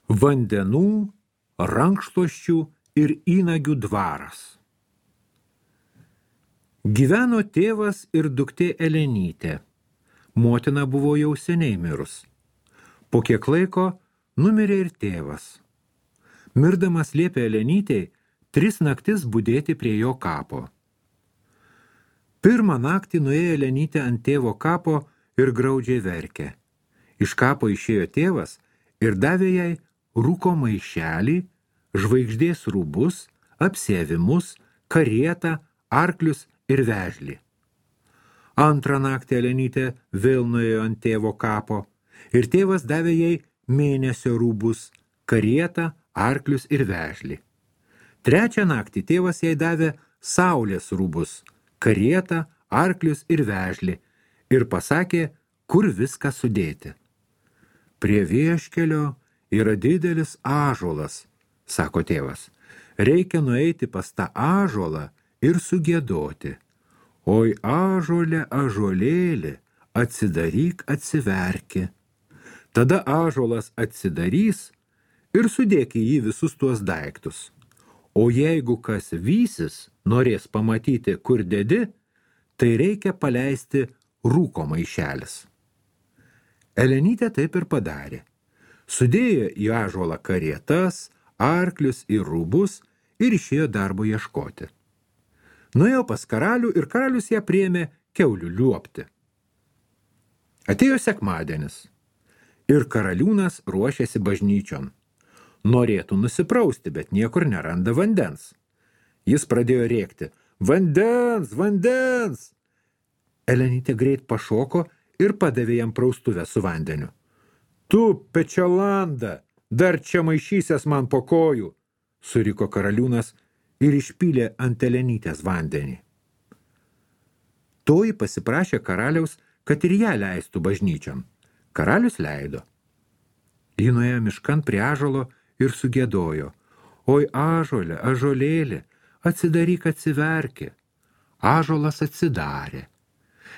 Vandenų, rankšluosčių ir įnagių dvaras. Gyveno tėvas ir duktė Elenytė. Motina buvo jau seniai mirus. Po kiek laiko numirė ir tėvas. Mirdamas liepė Elenytei 3 naktis budėti prie jo kapo. Pirmą naktį nuėjo Elenytė ant tėvo kapo ir graudžiai verkė. Iš kapo išėjo tėvas ir davė jai rūko maišelį, žvaigždės rūbus, apsėvimus, karietą, arklius ir vežlį. Antrą naktį Elenytė vėl nuėjo ant tėvo kapo ir tėvas davė jai mėnesio rūbus, karietą, arklius ir vežlį. Trečią naktį tėvas jai davė saulės rūbus, karietą, arklius ir vežlį ir pasakė, kur viską sudėti. Prie vieškelio yra didelis ąžuolas, sako tėvas. Reikia nueiti pas tą ąžuolą ir sugiedoti. Oi ąžuolė, ąžuolėli, atsidaryk, atsiverki. Tada ąžuolas atsidarys ir sudėk į jį visus tuos daiktus. O jeigu kas vysis, norės pamatyti, kur dedi, tai reikia paleisti rūko maišelis. Elenytė taip ir padarė. Sudėjo į ąžuolą karietas, arklius ir rūbus ir išėjo darbo ieškoti. Nuėjo pas karalių ir karalius ją priėmė kiaulių liuobti. Atėjo sekmadienis ir karaliūnas ruošėsi bažnyčion. Norėtų nusiprausti, bet niekur neranda vandens. Jis pradėjo rėkti, vandens, vandens! Elenytė greit pašoko ir padavė jam praustuvę su vandeniu. Tu, pečialanda, dar čia maišysies man po kojų, suriko karaliūnas ir išpylė ant Elenytės vandenį. Toji pasiprašė karaliaus, kad ir ją leistų bažnyčion. Karalius leido. Ji nuėjo miškan prie ąžuolo ir sugiedojo. Oi ąžuolė, ąžuolėli, atsidaryk, atsiverki. Ąžuolas atsidarė.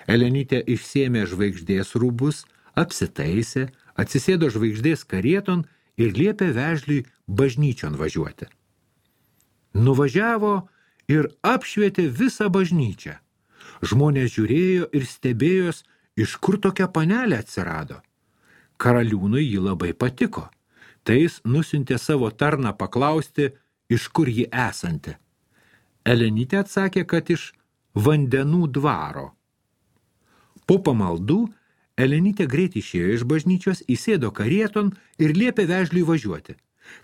Elenytė išsėmė žvaigždės rūbus, apsitaisė, atsisėdo žvaigždės karieton ir liepė vežliui bažnyčion važiuoti. Nuvažiavo ir apšvietė visą bažnyčią. Žmonės žiūrėjo ir stebėjos, iš kur tokia panelė atsirado. Karaliūnui ji labai patiko. Tai jis nusiuntė savo tarną paklausti, iš kur ji esanti. Elenytė atsakė, kad iš vandenų dvaro. Po pamaldų Elenytė greit išėjo iš bažnyčios, įsėdo karieton ir liepė vežliui važiuoti.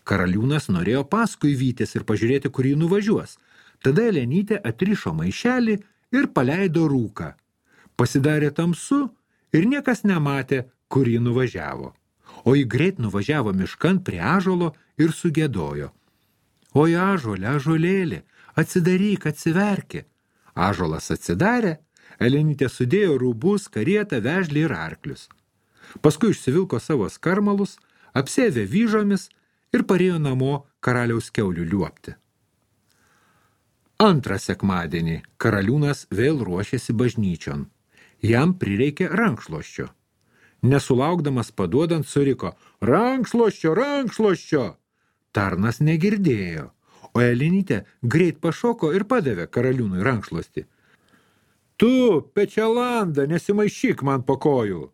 Karaliūnas norėjo paskui vytis ir pažiūrėti, kur jį nuvažiuos. Tada Elenytė atrišo maišelį ir paleido rūką. Pasidarė tamsu ir niekas nematė, kur jį nuvažiavo. O jį greit nuvažiavo miškan prie ąžuolo ir sugiedojo. Oi ąžuolė, ąžuolėli, atsidaryk, atsiverki. Ąžuolas atsidarė, Elenytė sudėjo rūbus, karietą, vežlį ir arklius. Paskui išsivilko savo skarmalus, apsėvė vyžomis ir parėjo namo karaliaus kiaulių liuobti. Antrą sekmadienį karaliūnas vėl ruošėsi bažnyčion. Jam prireikė rankšluosčio. Nesulaukdamas paduodant suriko, rankšluosčio, rankšluosčio. Tarnas negirdėjo, o Elenytė greit pašoko ir padavė karaliūnui rankšluostį. Tu, pečialanda, nesimaišyk man po kojų.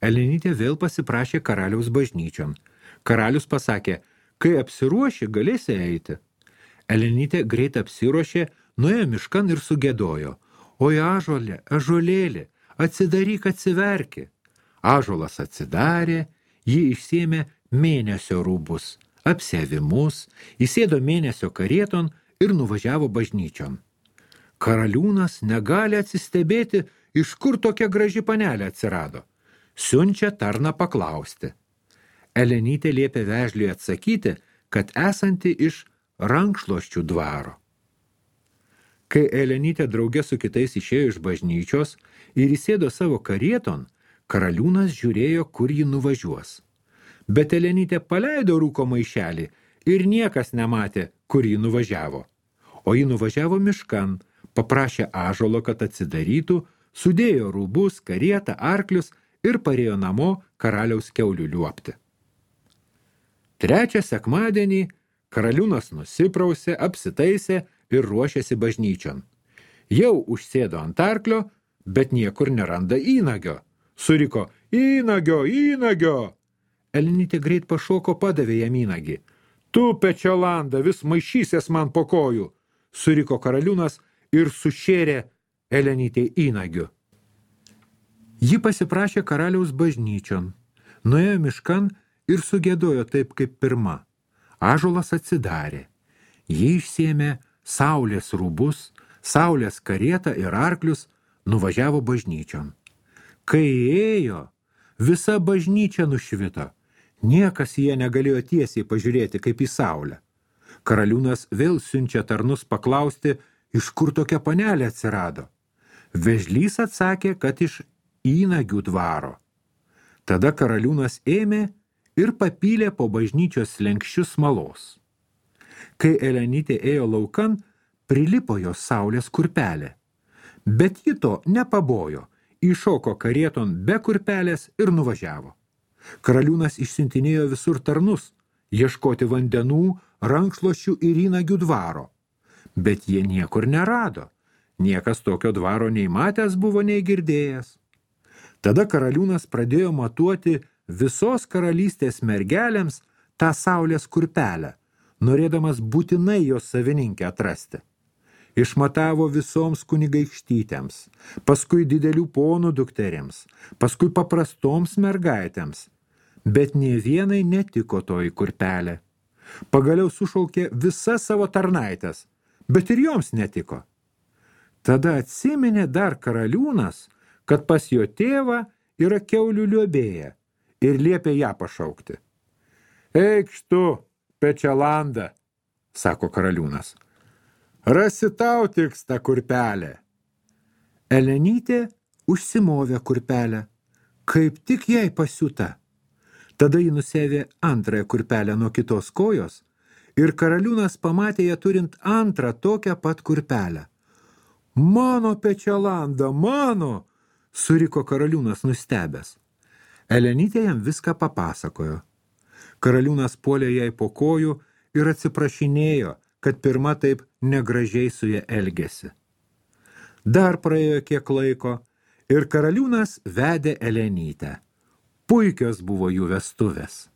Elenytė vėl pasiprašė karaliaus bažnyčion. Karalius pasakė, kai apsiruoši, galėsi eiti. Elenytė greit apsiruošė, nuėjo miškan ir sugiedojo. Oi ąžuolė, ąžuolėli, atsidaryk, atsiverki. Ąžuolas atsidarė, ji išsėmė mėnesio rūbus, apsėvimus, įsėdo mėnesio karieton ir nuvažiavo bažnyčion. Karaliūnas negali atsistebėti, iš kur tokia graži panelė atsirado. Siunčia tarną paklausti. Elenytė liepė vežliui atsakyti, kad esanti iš rankšluosčių dvaro. Kai Elenytė drauge su kitais išėjo iš bažnyčios ir įsėdo savo karieton, karaliūnas žiūrėjo, kur ji nuvažiuos. Bet Elenytė paleido rūko maišelį ir niekas nematė, kur ji nuvažiavo. O ji nuvažiavo miškan, paprašė ąžuolo, kad atsidarytų, sudėjo rūbus, karietą, arklius ir parėjo namo karaliaus kiaulių liuobti. Trečią sekmadienį karaliūnas nusiprausė, apsitaisė ir ruošėsi bažnyčion. Jau užsėdo ant arklio, bet niekur neranda įnagio. Suriko, įnagio, įnagio! Elenytė greit pašoko, padavė jam įnagį. Tu, Pečelanda, vis maišysies man po kojų, suriko karaliūnas ir sušėrė Elenytė įnagiu. Ji pasiprašė karaliaus bažnyčion, nuėjo miškan ir sugėdojo taip kaip pirma. Ąžuolas atsidarė. Ji išsėmė saulės rūbus, saulės karietą ir arklius, nuvažiavo bažnyčion. Kai ėjo, visa bažnyčia nušvito. Niekas jie negalėjo tiesiai pažiūrėti kaip į saulę. Karaliūnas vėl siunčia tarnus paklausti, iš kur tokia panelė atsirado. Vežlys atsakė, kad iš įnagių dvaro. Tada karaliūnas ėmė ir papylė po bažnyčios slenkščius smalos. Kai Elenytė ėjo laukan, prilipo jos saulės kurpelė. Bet ji to nepabojo, įšoko karieton be kurpelės ir nuvažiavo. Karaliūnas išsiuntinėjo visur tarnus, ieškoti vandenų, rankšluosčių ir įnagių dvaro. Bet jie niekur nerado. Niekas tokio dvaro nei matęs buvo, nei girdėjęs. Tada karaliūnas pradėjo matuoti visos karalystės mergelėms tą saulės kurpelę, norėdamas būtinai jos savininkę atrasti. Išmatavo visoms kunigaikštytėms, paskui didelių ponų dukterims, paskui paprastoms mergaitėms, bet nė vienai netiko toji kurpelė. Pagaliau sušaukė visas savo tarnaitės, bet ir joms netiko. Tada atsiminė dar karaliūnas, kad pas jo tėvą yra kiaulių liuobėja ir liepė ją pašaukti. Eikš tu, Pečelanda, sako karaliūnas. Rasi tau tiks tą kurpelę. Elenytė užsimovė kurpelę, kaip tik jai pasiūta. Tada ji nusėvė antrąją kurpelę nuo kitos kojos ir karaliūnas pamatė ją turint antrą tokią pat kurpelę. Mano Pečelanda, mano, suriko karaliūnas nustebęs. Elenytė jam viską papasakojo. Karaliūnas puolė jai po kojų ir atsiprašinėjo, kad pirma taip negražiai su ja elgėsi. Dar praėjo kiek laiko ir karaliūnas vedė Elenytę. Puikios buvo jų vestuvės.